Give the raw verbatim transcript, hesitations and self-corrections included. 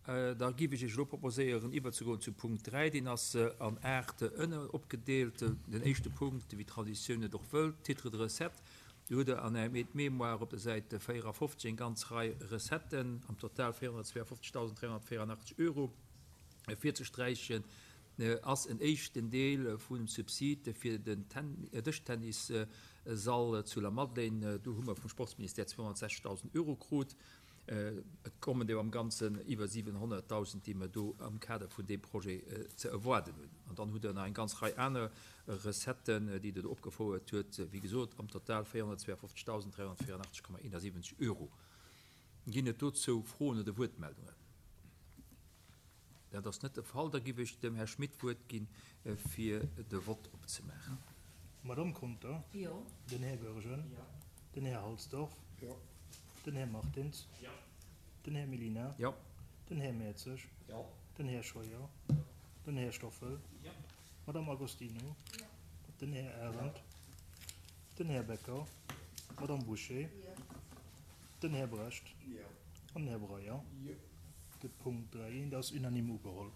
Da giff ech Iech elo proposéieren, iwwerzegoen zu Punkt dräi. Deen ass an aacht Ënner opgedeelt. Den éischte Punkt, wéi d'Traditioun et och wëllt, Titre de recette. Do hutt Der an Ärem Aide-mémoire op der Säit véierafofzeg eng ganz Rei Recetten, am Total véierhonnertzweeafofzegdausend dräihonnertvéierandachtzeg Euro. Virzesträichen ass en éischten Deel vum Subsid fir den Dëschtennis-Sall zu Lamadelaine. Do hu mer vum Sportsministère zweehonnertsechzegdausend Euro krut. Et kommen der am Ganzen iwwer siwenhonnertdausend, déi mer do am Kader vun deem Projet ze erwaarden hunn. An dann hutt Der nach eng ganz Rei aner Recetten, déi Der do opgefouert huet. Wéi gesot, am Total véierhonnertzweeafofzegdausend dräihonnertvéierandachtzeg Komma eenasiwwenzeg Euro. Ginn et dozou Froen oder Wuertmeldungen? Dat ass net de Fall. Da giff ech dem Här Schmit d'Wuert ginn, fir de Vott opzemaachen. D'Madame Conter? Jo. Den Här Goergen? Jo. Den Här Halsdorf? Jo. Den Här Martins? Jo. Den Här Mellina? Jo. Den Här Mertzig? Jo. Den Här Scheuer? Den Här Stoffel? Jo. D'Madame Agostino? Jo. Den Här Arendt? Den Här Becker? D'Madame Bouché? Jo. Den Här Brecht? Jo. An den Här Breyer? Jo. De Punkt dräi eent ass unanime ugeholl.